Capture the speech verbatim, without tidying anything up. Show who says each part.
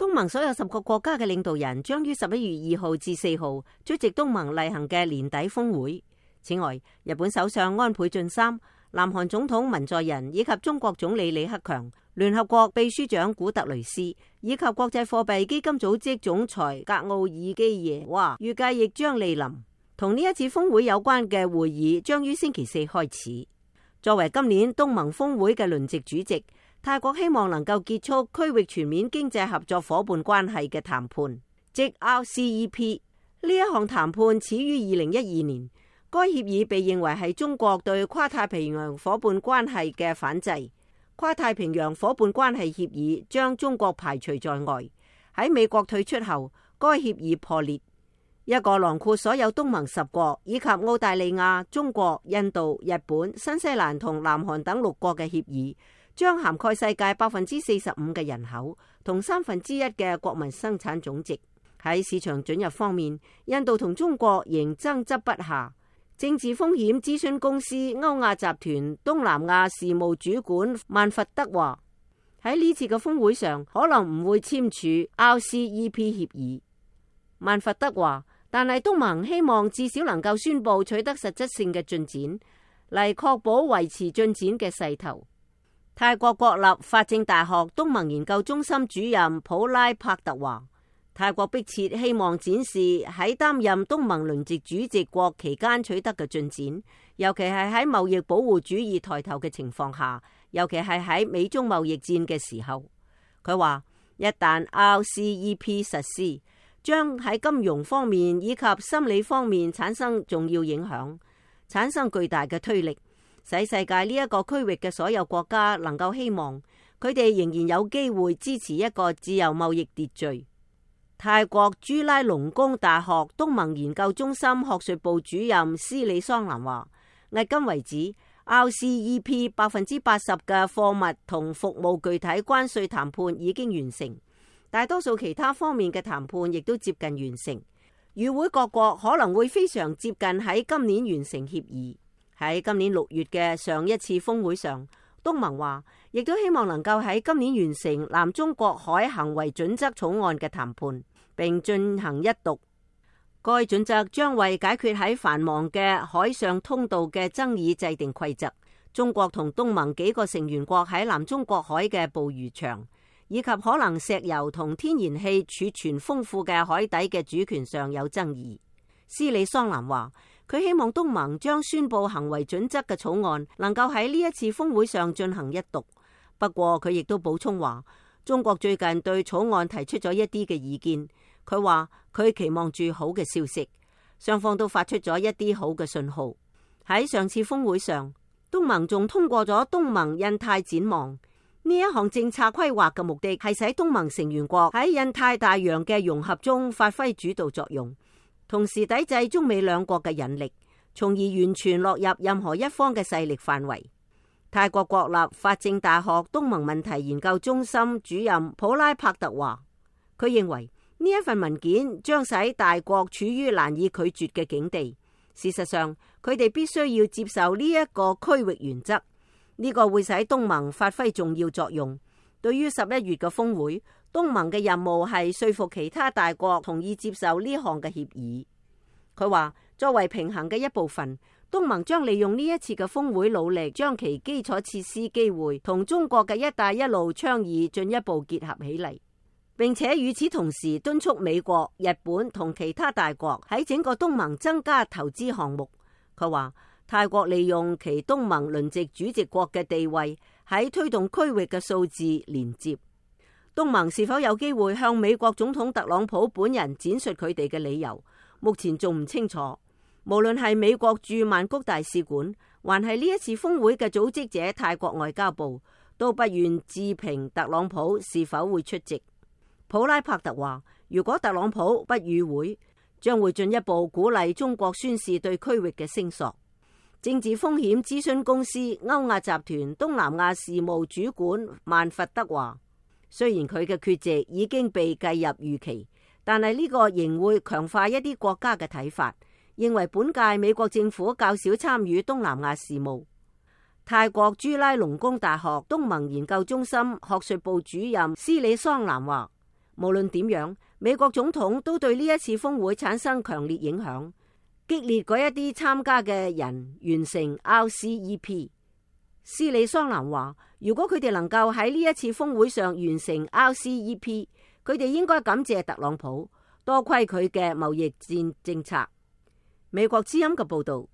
Speaker 1: 東盟所有十個國家嘅領導人將於十一月二號至四號出席東盟例行嘅年底峰會。此外，日本首相安倍晉三、南韓總統文在寅以及中國總理李克強、聯合國秘書長古特雷斯以及國際貨幣基金組織總裁格奧爾基耶娃預計亦將莅臨。同呢一次峰會有關嘅會議將於星期四開始。作為今年東盟峰會嘅輪值主席，泰國希望能夠結束區域全面經濟合作夥伴關係嘅談判，即 R C E P。呢一項談判始於二零一二年，該協議被認為係中國對跨太平洋夥伴關係嘅反制。跨太平洋夥伴關係協議將中國排除在外。喺美國退出後，該協議破裂。一個囊括所有東盟十國以及澳大利亞、中國、印度、日本、新西蘭同南韓等六國嘅協議，將涵蓋世界百分之四十五嘅人口同三分之一嘅國民生產總值。喺市場准入方面，印度同中國仍爭執不下。政治風險諮詢公司歐亞集團東南亞事務主管曼佛德話：喺呢次嘅峰會上，可能唔會簽署 R C E P 協議。曼佛德話，但係東盟希望至少能夠宣布取得實質性嘅進展，嚟確保維持進展嘅勢頭。泰國國立法政大學東盟研究中心主任普拉帕特話：泰國迫切希望展示喺擔任東盟輪值主席國期間取得嘅進展，尤其係喺貿易保護主義抬頭嘅情況下，尤其係喺美中貿易戰嘅時候。佢話一旦 R C E P 實施，將喺金融方面以及心理方面產生重要影響，產生巨大嘅推力，使世界呢一個區域嘅所有國家能夠希望佢哋仍然有機會支持一個自由貿易秩序。泰國朱拉隆功大學東盟研究中心學術部主任斯里桑蘭話：迄今為止 R C E P 百分之八十嘅貨物同服務具體關稅談判已經完成。大多數其他方面嘅談判亦都接近完成，與會各國可能會非常接近喺今年完成協議。喺今年六月嘅上一次峰會上，東盟話亦都希望能夠喺今年完成南中國海行為準則草案嘅談判，並進行一讀。該準則將為解決喺繁忙嘅海上通道嘅爭議制定規則。中國同東盟幾個成員國喺南中國海嘅捕魚場，以及可能石油同天然氣儲存豐富嘅海底嘅主權上有爭議。斯里桑蘭話，佢希望東盟將宣布行為準則嘅草案能夠喺呢一次峰會上進行一讀。不過佢亦都補充話，中國最近對草案提出咗一啲嘅意見。佢話佢期望住好嘅消息，雙方都發出咗一啲好嘅信號。喺上次峰會上，東盟仲通過咗東盟印太展望。呢一項政策規劃嘅目的係使東盟成員國喺印太大洋嘅融合中發揮主導作用，同時抵制中美兩國嘅引力，從而完全落入任何一方嘅勢力範圍。泰國國立法政大學東盟問題研究中心主任普拉帕特話，佢認為呢一份文件將使大國處於難以拒絕嘅境地。事實上，佢哋必須要接受呢一個區域原則。呢個會使東盟發揮重要作用。對於十一月嘅峰會，東盟嘅任務係說服其他大國同意接受呢項嘅協議。佢話，作為平衡嘅一部分，東盟將利用呢一次嘅峰會，努力將其基礎設施機會同中國嘅一帶一路倡議進一步結合起嚟，並且與此同時敦促美國、日本同其他大國喺整個東盟增加投資項目。佢話，泰國利用其東盟輪值主席國嘅地位，喺推動區域嘅數字連接。東盟是否有機會向美國總統特朗普本人展述佢哋嘅理由，目前仲唔清楚。無論係美國駐曼谷大使館，還係呢一次峰會嘅組織者泰國外交部，都不願置評特朗普是否會出席。普拉帕特話，如果特朗普不與會，將會進一步鼓勵中國宣示對區域嘅聲索。政治風險諮詢公司歐亞集團東南亞事務主管曼佛德話，雖然佢嘅缺席已經被計入預期，但係呢個仍會強化一啲國家嘅睇法，認為本屆美國政府較少參與東南亞事務。泰國朱拉隆功大學東盟研究中心學術部主任斯里桑蘭話，無論點樣，美國總統都對呢一次峰會產生強烈影響，激烈嗰一啲參加嘅人完成 R C E P。斯里桑蘭話，如果佢哋能夠喺呢一次峰會上完成 R C E P，佢哋應該感謝特朗普，多虧佢嘅貿易戰政策。美國之音嘅報道。